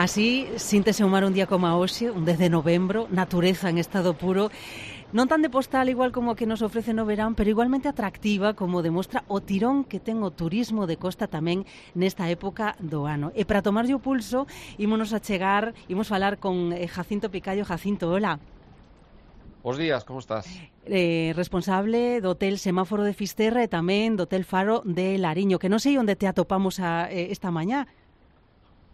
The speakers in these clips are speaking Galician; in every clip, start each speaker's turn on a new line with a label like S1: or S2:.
S1: Así, síntese o mar un día como a hoxe, un 10 de novembro, natureza en estado puro, non tan de postal igual como a que nos ofrece no verán, pero igualmente atractiva como demostra o tirón que ten o turismo de costa tamén nesta época do ano. E para tomarlle o pulso, ímonos a chegar, imos falar con Jacinto Picallo. Jacinto, hola.
S2: Bos días, como estás?
S1: Responsable do Hotel Semáforo de Fisterra e tamén do Hotel Faro de Lariño, que non sei onde te atopamos esta mañá.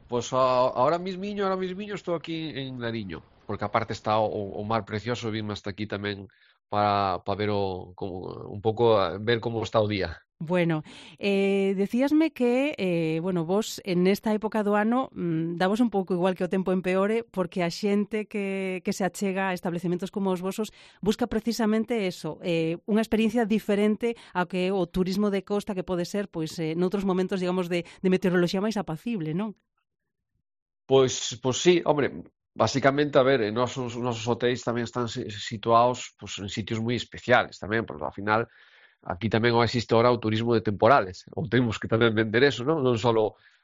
S2: Pois ahora mismiño estou aquí en Nariño, porque aparte está o mar precioso, vime hasta aquí tamén para ver un pouco ver como está o día.
S1: Bueno, decíasme que, bueno, vos en esta época do ano davos un pouco igual que o tempo empeore, porque a xente que se achega a establecementos como os vosos busca precisamente eso, unha experiencia diferente ao que o turismo de costa que pode ser, pois, noutros momentos, digamos, de meteoroloxía máis apacible, non?
S2: Pois sí, hombre, basicamente, a ver, nosos hotéis tamén están situados pois, en sitios moi especiales tamén, porque ao final aquí tamén existe ahora o turismo de temporales, ou temos que tamén vender eso, non? Non só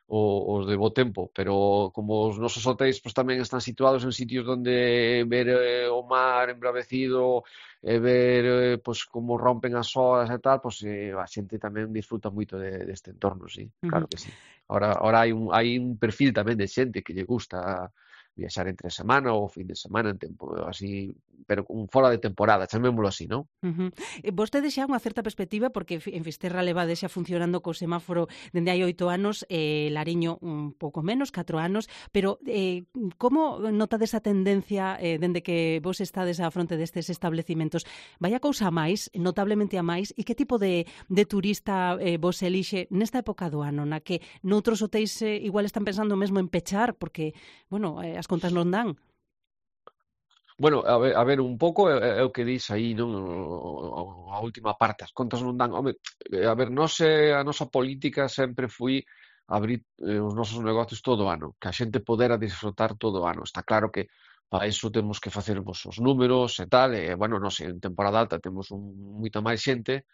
S2: os de bo tempo, pero como os nosos hotéis pois, tamén están situados en sitios donde ver o mar embravecido e ver pois, como rompen as olas e tal, pois a xente tamén disfruta moito deste entorno, sí, claro que sí. Ahora hai un perfil tamén de xente que lle gusta viaxar entre semana ou fin de semana en tempo así, pero fora de temporada, chamémolo así, non?
S1: Vostede xa unha certa perspectiva, porque en Fisterra levade xa funcionando co semáforo dende hai 8 anos, Lariño un pouco menos, 4 anos, pero como notades a tendencia dende que vos estades á fronte destes establecimentos? Vai a cousa a máis, notablemente a máis, e que tipo de turista vos elixe nesta época do ano, na que noutros hotéis igual están pensando mesmo en pechar, porque, bueno, as contas non dan?
S2: Bueno, a ver, un pouco é o que dis aí, non? A última parte, as contas non dan. Home, a ver, a nosa política sempre foi abrir os nosos negocios todo o ano, que a xente podera disfrutar todo o ano. Está claro que para iso temos que facer os números e tal, e, bueno, non sei, en temporada alta temos moita máis xente,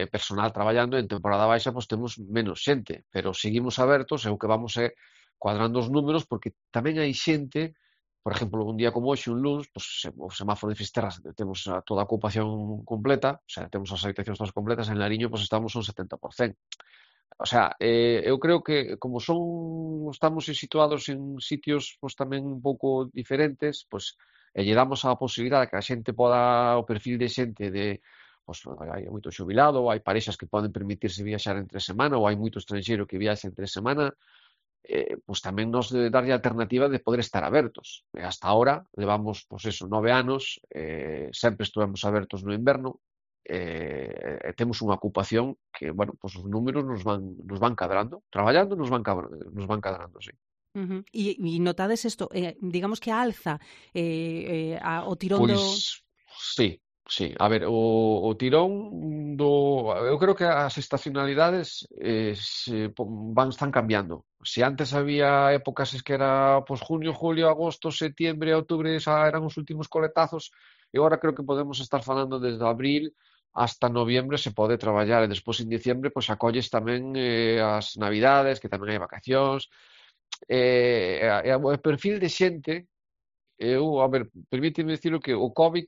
S2: personal traballando, e en temporada baixa pois temos menos xente, pero seguimos abertos e o que vamos é cuadrando os números porque tamén hai xente. Por exemplo, un día como hoxe, un luns, pues, o semáforo de Fisterra temos toda a ocupación completa, o sea, temos as habitacións todas completas, en Lariño pues, estamos un 70%. O sea, eu creo que como estamos situados en sitios pues, tamén un pouco diferentes, pues, lle damos a posibilidade que a xente poda, o perfil de xente de pues, hai moito xubilado, ou hai parexas que poden permitirse viaxar entre semana, ou hai moito estranxeiro que viaxa entre semana, pois tamén nos darlle a alternativa de poder estar abertos. E hasta ahora levamos, pois eso, 9 anos, sempre estivemos abertos no inverno, e temos unha ocupación que, bueno, pois os números nos van cadrando, traballando nos van cadrando, sí.
S1: E notades isto, digamos que a alza, o tirón
S2: Pois
S1: do...
S2: sí, sí. A ver, o tirón do... Eu creo que as estacionalidades están cambiando. Se antes había épocas que era pues, junio, julio, agosto, septiembre, outubro, eran os últimos coletazos, e agora creo que podemos estar falando desde abril hasta noviembre se pode traballar, e despois en diciembre pois acolles tamén as navidades, que tamén hai vacacións, o perfil de xente. A ver, permíteme dicilo que o COVID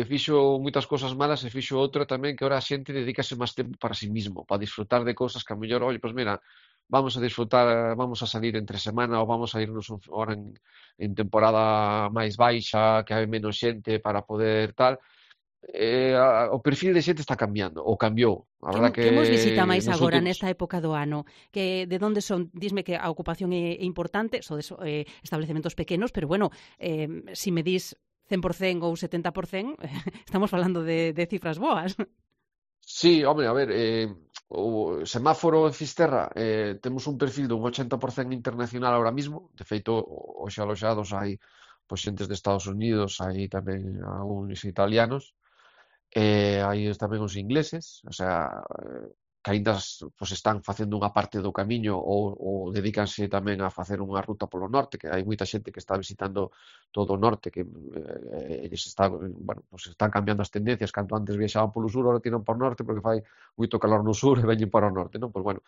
S2: fixo moitas cousas malas e fixo outra tamén que ahora a xente dedícase máis tempo para sí mismo, para disfrutar de cousas que a mellor, oye, pois mira, vamos a disfrutar, vamos a salir entre semana ou vamos a irnos ahora en temporada máis baixa, que hai menos xente para poder tal. O perfil de xente está cambiando, ou cambiou. A verdad que
S1: Que mos visita máis
S2: nos
S1: agora
S2: últimos...
S1: nesta época do ano? Que de onde son? Disme que a ocupación é importante, sodes establecementos pequenos, pero bueno, si me dis 100% ou 70%, estamos falando de cifras boas.
S2: Sí, home, a ver, o semáforo en Fisterra temos un perfil dun 80% internacional ahora mismo. De feito, hoxe aloxados hai pois, xentes de Estados Unidos, hai tamén algúns italianos, hai tamén os ingleses, o sea, que aínda pois, están facendo unha parte do camiño ou dedícanse tamén a facer unha ruta polo norte, que hai moita xente que está visitando todo o norte, que eles bueno, pois, están cambiando as tendencias, canto antes viaxaban polo sur, agora tiran para o norte porque fai moito calor no sur e veñen para o norte, non? Pois bueno,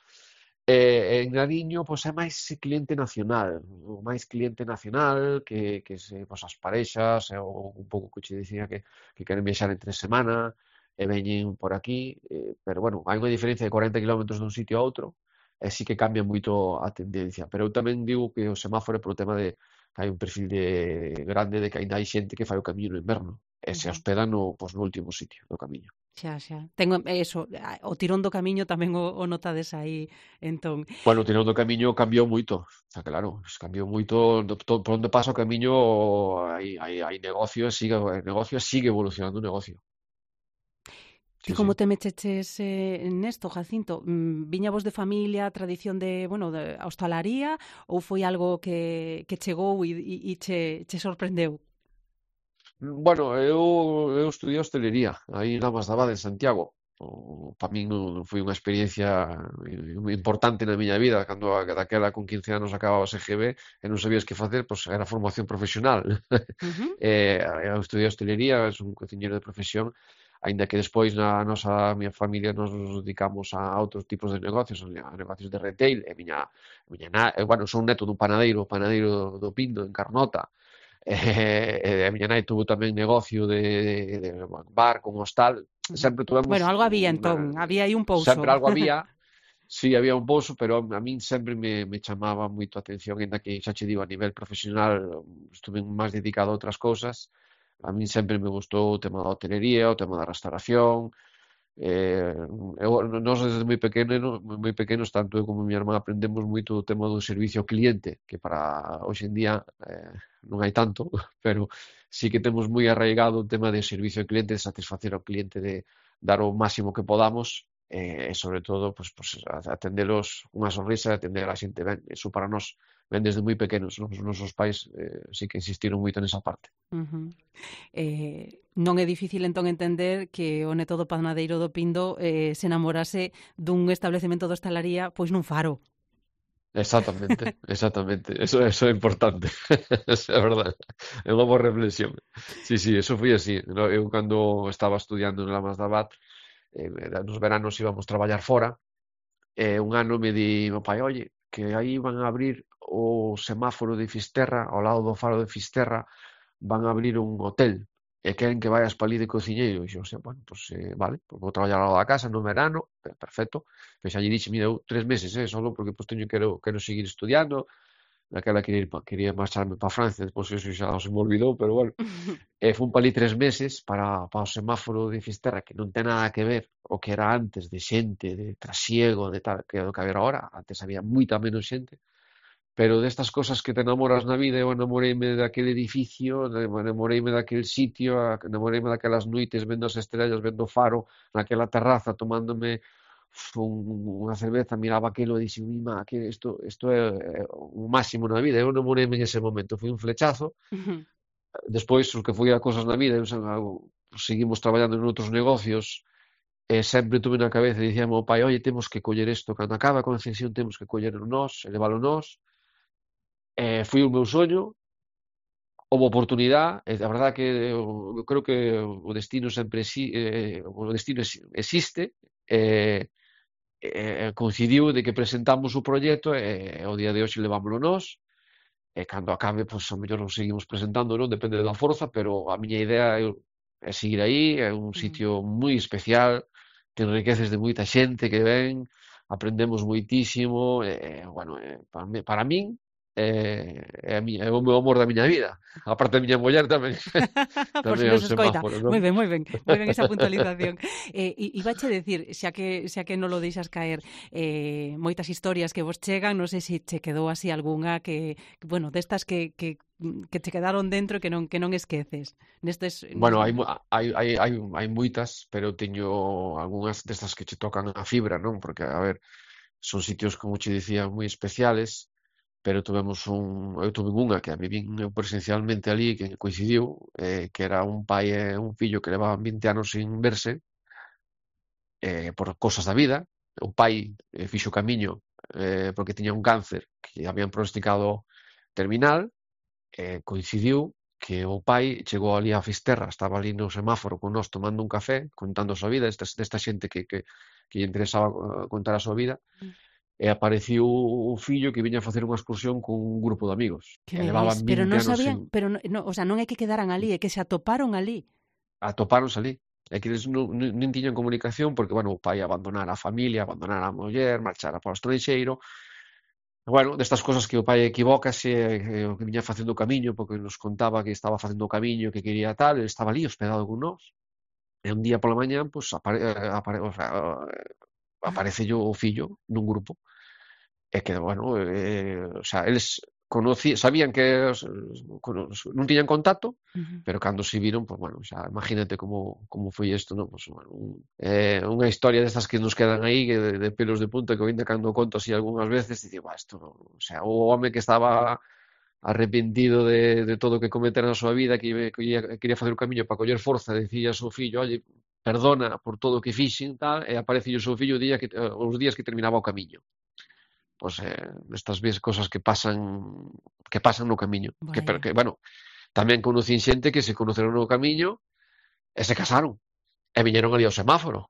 S2: En Nariño, pois é máis cliente nacional, máis cliente nacional que se, pois, as parexas, ou un pouco que che dicía que queren viaxar entre semana e veñen por aquí, pero bueno, hai unha diferencia de 40 kilómetros dun sitio a outro, e sí que cambia moito a tendencia, pero eu tamén digo que o semáforo é polo tema de que hai un perfil grande de que aínda hai xente que fai o camiño no inverno e se
S1: Ujú.
S2: hospeda pois, no último sitio do camiño.
S1: Xa, xa. Tengo eso, o tirón do camiño tamén o notades aí, entón.
S2: Bueno, o tirón do camiño cambiou moito, está claro, cambiou moito, por onde pasa o camiño hai negocio e sigue evolucionando o negocio.
S1: Ti
S2: Sí,
S1: como
S2: sí.
S1: te mecheches nesto, Jacinto? Viña vos de familia, tradición de, bueno, de hostalaría ou foi algo que chegou e che sorprendeu?
S2: Bueno, eu estudiei hostelería aí na Masdabade, en Santiago. Para min non foi unha experiencia importante na miña vida, cando daquela con 15 anos acababa o SGB e non sabías que facer, pois era formación profesional.
S1: Ujú.
S2: Eu estudiei hostelería, son un cociñeiro de profesión, aínda que despois a miña familia nos dedicamos a outros tipos de negocios, a negocios de retail, e bueno, son neto dun panadeiro, o panadeiro do Pindo, en Carnota, a miña nai tuvo tamén negocio de bar con hostal.
S1: Ujú.
S2: Sempre tuvemos
S1: Bueno, algo había entón, había aí un pouso.
S2: sempre algo había. Sí, había un pouso, pero a min sempre me chamaba moito a atención, aínda que xa che digo, a nivel profesional estuve máis dedicado a outras cousas. A min sempre me gustou o tema da hotelería, o tema da restauración. Eh, Nós desde moi pequenos, tanto eu como a miña irmá aprendemos moito do tema do servicio ao cliente, que para hoxe en día non hai tanto, pero sí que temos moi arraigado o tema de servicio ao cliente, de satisfacer ao cliente, de dar o máximo que podamos, e sobre todo pues, atendelos unha sonrisa e atender a xente ben. Eso para nós ven desde moi pequenos, non? Os nosos pais sí que insistiron moito nesa parte.
S1: Ujú. Non é difícil entón entender que o neto do panadeiro do Pindo se namorase dun establecemento de hostalaría pois nun faro.
S2: Exactamente, exactamente. Eso é importante. Eso é verdade. É unha boa reflexión. Sí, sí, eso foi así. Eu cando estaba estudiando en Lamas de Abad, nos veranos íbamos traballar fora, e un ano me di meu pai, oye, que aí van a abrir o semáforo de Fisterra, ao lado do faro de Fisterra, van a abrir un hotel e queren que vayas pa ali de cociñeiro. E dixo, "Hostia, bueno, pues, vale, pues vou traballar ao lado da casa no verano, perfecto." Pois xa lle dixe, mira, eu 3 meses, solo porque pues quero seguir estudiando. Naquela quería marcharme para Francia, despois eso xa se me olvidou, pero bueno. E fun pa ali 3 meses para o semáforo de Fisterra, que non ten nada que ver o que era antes, de xente, de trasiego, de tal, que é o que había agora. Antes había moita menos xente, pero destas cosas que te enamoras na vida, eu enamoreime daquele edificio, enamoreime daquel sitio, enamoreime daquelas noites vendo as estrellas, vendo o faro, naquela terraza, tomándome unha cerveza, miraba aquilo e dixen, mima, que isto é o máximo na vida. Eu enamoreime en ese momento, foi un flechazo. Despois, o que foi a cosas na vida, seguimos traballando en outros negocios, e sempre tuve na cabeza e dicía ao meu pai, oye, temos que coller isto, cando acaba a concesión temos que collerlo nós, e leválo nós. Foi o meu soño, houve oportunidade, e a verdade que eu creo que o destino existe, coincidiu de que presentamos o proxecto e ao día de hoxe levámoslo nós, e cando acabe, pois, ao mellor nos seguimos presentando, non? Depende da forza, pero a miña idea é seguir aí, é un sitio moi especial, te enriqueces de moita xente que ven, aprendemos moitísimo, bueno, para min é o meu amor da miña vida. A parte da miña muller tamén,
S1: Por
S2: tamén
S1: si
S2: é
S1: nos
S2: o
S1: escoita.
S2: semáforo, non?
S1: Moi ben esa puntualización. Ibache decir, xa que non lo deixas caer, moitas historias que vos chegan, non sei se che quedou así algunha bueno, destas que che quedaron dentro e que non esqueces. Nestes
S2: Bueno, hai moitas, pero eu teño algunhas destas que che tocan a fibra, non? Porque, a ver, son sitios, como che dicía, moi especiales, pero eu tuve unha que a vivín eu presencialmente ali, que coincidiu, que era un pai e un fillo que levaban 20 anos sin verse, por cosas da vida. O pai fixo camiño porque tiña un cáncer que habían pronosticado terminal, coincidiu que o pai chegou ali a Fisterra, estaba ali no semáforo con nós tomando un café, contando a súa vida, desta xente que lle interesaba contar a súa vida, e apareciu o fillo que viña a facer unha excursión con un grupo de amigos,
S1: Que
S2: e
S1: me dis?
S2: levaban
S1: Pero
S2: 20
S1: non
S2: anos
S1: sabían,
S2: sen
S1: pero o sea, non é que quedaran ali, é que se atoparon ali.
S2: atopáronse ali. É que eles non tiñan comunicación porque, bueno, o pai abandonara a familia, abandonara a muller, marchara para o estranxeiro. Bueno, destas cosas que o pai equivócase, o que viña facendo o camiño, porque nos contaba que estaba facendo o camiño, que quería tal, ele estaba ali hospedado con nós. E un día pola mañán, pues, o sea, aparece o fillo nun grupo. E que, bueno, o sea, eles sabían que non tiñan contacto,
S1: Ujú.
S2: pero cando se viron, pues bueno, xa imagínate como foi isto, non? Pues, bueno, unha historia destas que nos quedan aí de pelos de punta que eu ainda cando conto así algunhas veces digo, isto, o sea, o home que estaba arrepentido de todo o que cometera na súa vida, quería facer o camiño para coller forza, decía ao seu fillo, oye, perdona por todo o que fixen, tal, e aparece o seu fillo os días que terminaba o camiño. Pois estas cosas que pasan no camiño, pero
S1: Vaya.
S2: que, bueno, tamén conocín xente que se conoceron no camiño e se casaron e viñeron ali ao semáforo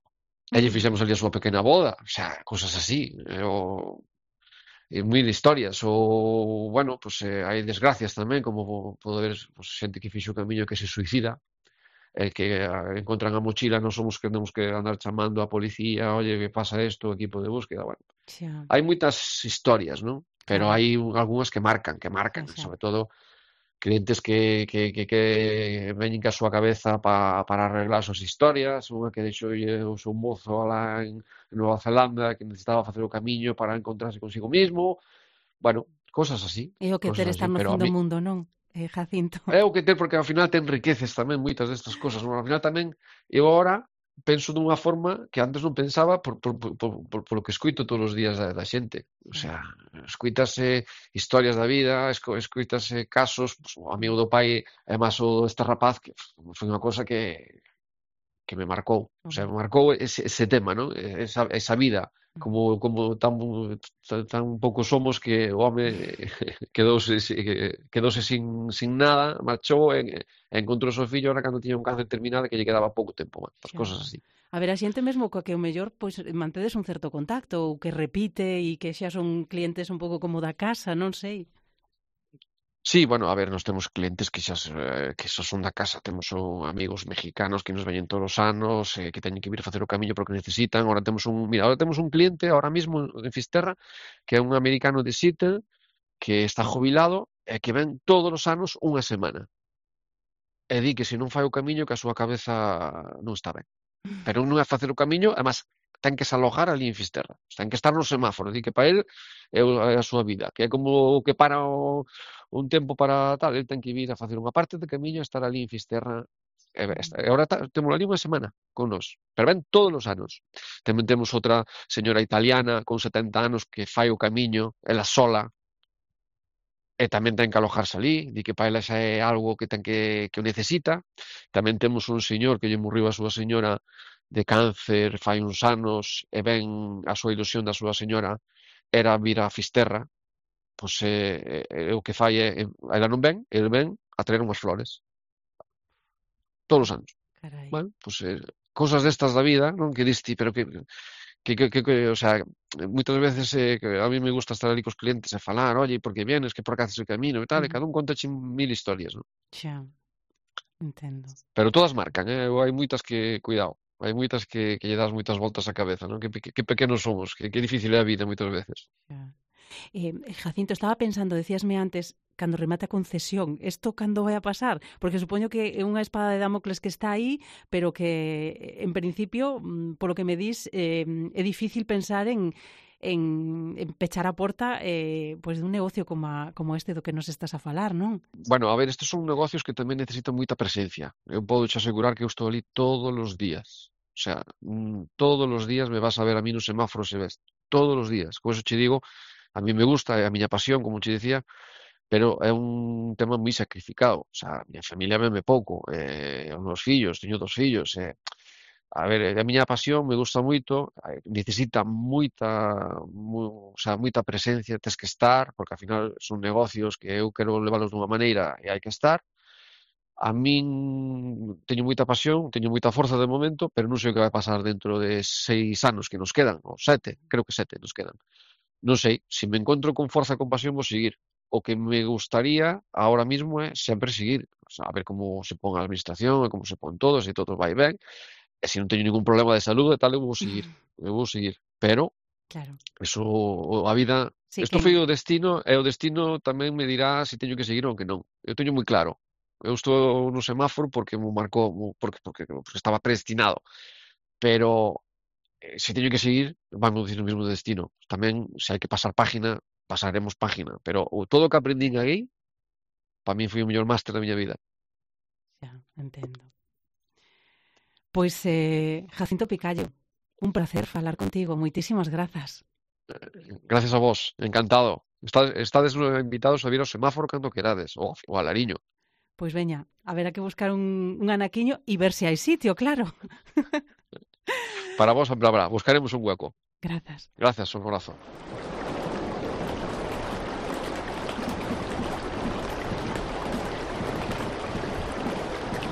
S2: e lle fixemos ali a súa pequena boda, o sea, cosas así, mil historias, ou, bueno, pues hai desgracias tamén, como pode haber pues, xente que fixo o camiño que se suicida, que encontran a mochila, non somos que temos que andar chamando a policía, oye, que pasa isto, o equipo de búsqueda, bueno.
S1: Xa,
S2: Hai moitas historias, non? Pero
S1: claro,
S2: hai algunhas que marcan,
S1: xa, xa.
S2: sobre todo clientes que veñen ca súa cabeza para arreglar as súas historias, unha que deixou o seu mozo alá en Nova Zelanda que necesitaba facer o camiño para encontrarse consigo mismo, bueno,
S1: É o que ter estar no
S2: pero
S1: fin
S2: a
S1: do
S2: mí
S1: mundo, non, Jacinto?
S2: é o que ter porque ao final te enriqueces tamén moitas destas cosas, non? Ao final tamén eu agora penso dunha forma que antes non pensaba por lo que escoito todos os días da xente. O
S1: Xa,
S2: sea, escoítase historias da vida, escoítase casos, pues, o amigo do pai e máis o deste rapaz que foi unha cosa que me marcou. O sea,
S1: home.
S2: me marcou ese tema, ¿no? Esa vida, como tan pouco somos que o home quedouse sin nada, marchou e encontrou o seu fillo ahora cando tiña un cáncer terminal que lle quedaba pouco tempo máis. As
S1: Xa.
S2: cosas así.
S1: A ver, a xente mesmo coa que o mellor pois mantedes un certo contacto ou que repite e que xa son clientes un pouco como da casa, non sei.
S2: Sí, bueno, a ver, nos temos clientes que xa son da casa, temos amigos mexicanos que nos veñen todos os anos, que teñen que vir a facer o camiño porque necesitan. Ahora temos un cliente ahora mismo en Fisterra que é un americano de Seattle que está jubilado e que ven todos os anos unha semana. E di que se non fai o camiño que a súa cabeza non está ben. Pero non é facer o camiño, además ten que se alojar ali en Fisterra. Ten que estar no semáforo, di que para él é a súa vida, que é como o que para un tempo para tal, el ten que vir a facer unha parte de camiño e estar ali en Fisterra. E agora temos ali unha semana con nós, pero ven todos os anos. Tamén temos outra señora italiana con 70 anos que fai o camiño, ela sola, e tamén ten que alojarse ali, di que para ela xa é algo que ten que o necesita. Tamén temos un señor que lle morriu a súa señora de cáncer fai uns anos e ven a súa ilusión da súa señora era vir a Fisterra, pois o que fai ela non ven, el ven a traer unhas flores todos os anos.
S1: Carai.
S2: Bueno, pois cosas destas da vida, non? Que diste, pero o sea, moitas veces que a mí me gusta estar ali cos clientes e falar, oye, por que vienes, que por que haces o camino e tal, e cada un conta mil historias, non?
S1: Xa, entendo.
S2: Pero todas marcan, hai moitas que, cuidado, hai moitas que lle das moitas voltas á cabeza, non? Que pequenos somos, que difícil é a vida moitas veces.
S1: Xa. Jacinto, estaba pensando, decíasme antes, cando remate a concesión, isto cando vai a pasar? Porque supoño que é unha espada de Damocles que está aí, pero que, en principio, polo que me dis, é difícil pensar en pechar a porta pois dun negocio como este do que nos estás a falar, non?
S2: Bueno, a ver, estes son negocios que tamén necesitan moita presencia. Eu podo te asegurar que eu estou ali todos os días. O sea, todos os días me vas a ver a mí no semáforo se ves. Todos os días. Por eso che digo, a mí me gusta, é a miña pasión, como che dicía, pero é un tema moi sacrificado. O sea, a miña familia veme pouco, os meus fillos, teño 2 fillos, a ver, a miña pasión me gusta moito, necesita o sea, moita presencia, tes que estar, porque ao final son negocios que eu quero leválos dunha maneira e hai que estar. A min teño moita pasión, teño moita forza de momento, pero non sei o que vai pasar dentro de 6 anos que nos quedan, ou 7, creo que 7 nos quedan. non sei, se me encontro con forza e compasión vou seguir. O que me gustaría ahora mismo é sempre seguir, o sea, a ver como se pon a administración e como se pon todo, se todo vai ben, e se non teño ningún problema de salud e tal, eu vou seguir, pero
S1: Claro.
S2: eso, a vida,
S1: Sí
S2: isto
S1: que
S2: foi o destino, e o destino tamén me dirá se teño que seguir ou que non. Eu teño moi claro. Eu estou no semáforo porque me marcou, porque estaba predestinado. Pero se teño que seguir, vamos dicir o mesmo destino. Tamén, se hai que pasar página, pasaremos página. Pero todo o que aprendín aí, para mí foi o mellor máster da miña vida.
S1: xa, entendo. Pois, Jacinto Picallo, un placer falar contigo. Moitísimas grazas.
S2: Gracias a vos, encantado. Estades invitados a vir ao semáforo cando querades, ou a Lariño.
S1: Pois veña, haberá que buscar un anaquiño e ver se hai sitio, claro.
S2: Para vos habrá, buscaremos un hueco.
S1: Grazas.
S2: Gracias, un abrazo.